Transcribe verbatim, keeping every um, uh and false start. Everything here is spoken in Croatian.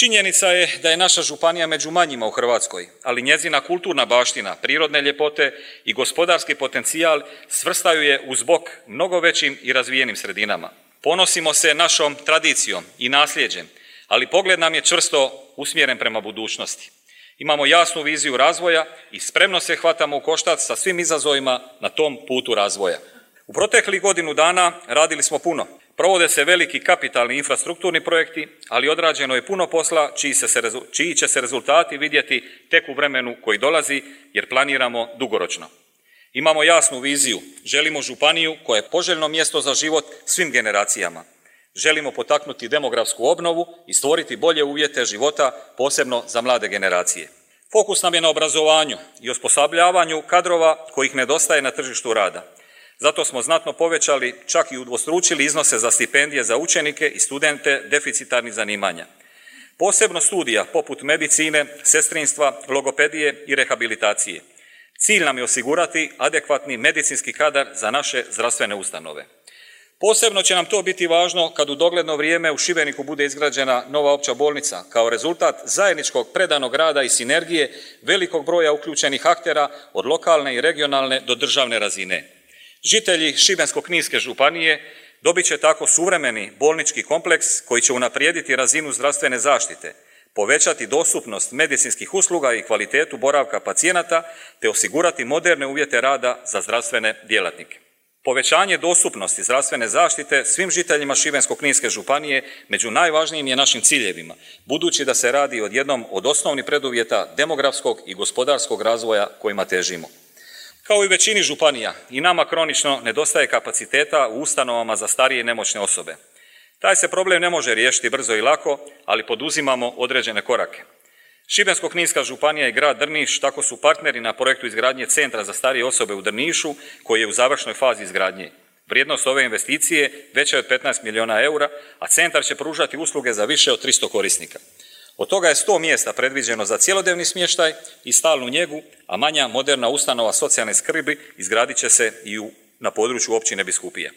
Činjenica je da je naša županija među manjima u Hrvatskoj, ali njezina kulturna baština, prirodne ljepote i gospodarski potencijal svrstaju je uz bok mnogo većim i razvijenim sredinama. Ponosimo se našom tradicijom i nasljeđem, ali pogled nam je čvrsto usmjeren prema budućnosti. Imamo jasnu viziju razvoja i spremno se hvatamo u koštac sa svim izazovima na tom putu razvoja. U proteklih godinu dana radili smo puno. Provode se veliki kapitalni infrastrukturni projekti, ali odrađeno je puno posla čiji, se, čiji će se rezultati vidjeti tek u vremenu koji dolazi, jer planiramo dugoročno. Imamo jasnu viziju, želimo županiju koja je poželjno mjesto za život svim generacijama. Želimo potaknuti demografsku obnovu i stvoriti bolje uvjete života, posebno za mlade generacije. Fokus nam je na obrazovanju i osposobljavanju kadrova kojih nedostaje na tržištu rada. Zato smo znatno povećali, čak i udvostručili iznose za stipendije za učenike i studente deficitarnih zanimanja. Posebno studija poput medicine, sestrinstva, logopedije i rehabilitacije. Cilj nam je osigurati adekvatni medicinski kadar za naše zdravstvene ustanove. Posebno će nam to biti važno kad u dogledno vrijeme u Šibeniku bude izgrađena nova opća bolnica kao rezultat zajedničkog predanog rada i sinergije velikog broja uključenih aktera od lokalne i regionalne do državne razine. Žitelji Šibensko-kninske županije dobit će tako suvremeni bolnički kompleks koji će unaprijediti razinu zdravstvene zaštite, povećati dostupnost medicinskih usluga i kvalitetu boravka pacijenata te osigurati moderne uvjete rada za zdravstvene djelatnike. Povećanje dostupnosti zdravstvene zaštite svim žiteljima Šibensko-kninske županije među najvažnijim je našim ciljevima, budući da se radi o jednom od osnovnih preduvjeta demografskog i gospodarskog razvoja kojima težimo. Kao i većini županija, i nama kronično nedostaje kapaciteta u ustanovama za starije i nemoćne osobe. Taj se problem ne može riješiti brzo i lako, ali poduzimamo određene korake. Šibensko-kninska županija i grad Drniš tako su partneri na projektu izgradnje centra za starije osobe u Drnišu, koji je u završnoj fazi izgradnje. Vrijednost ove investicije veća je od petnaest milijuna eura, a centar će pružati usluge za više od tristo korisnika. Od toga je sto mjesta predviđeno za cjelodnevni smještaj i stalnu njegu, a manja moderna ustanova socijalne skrbi izgradit će se i u, na području općine Biskupije.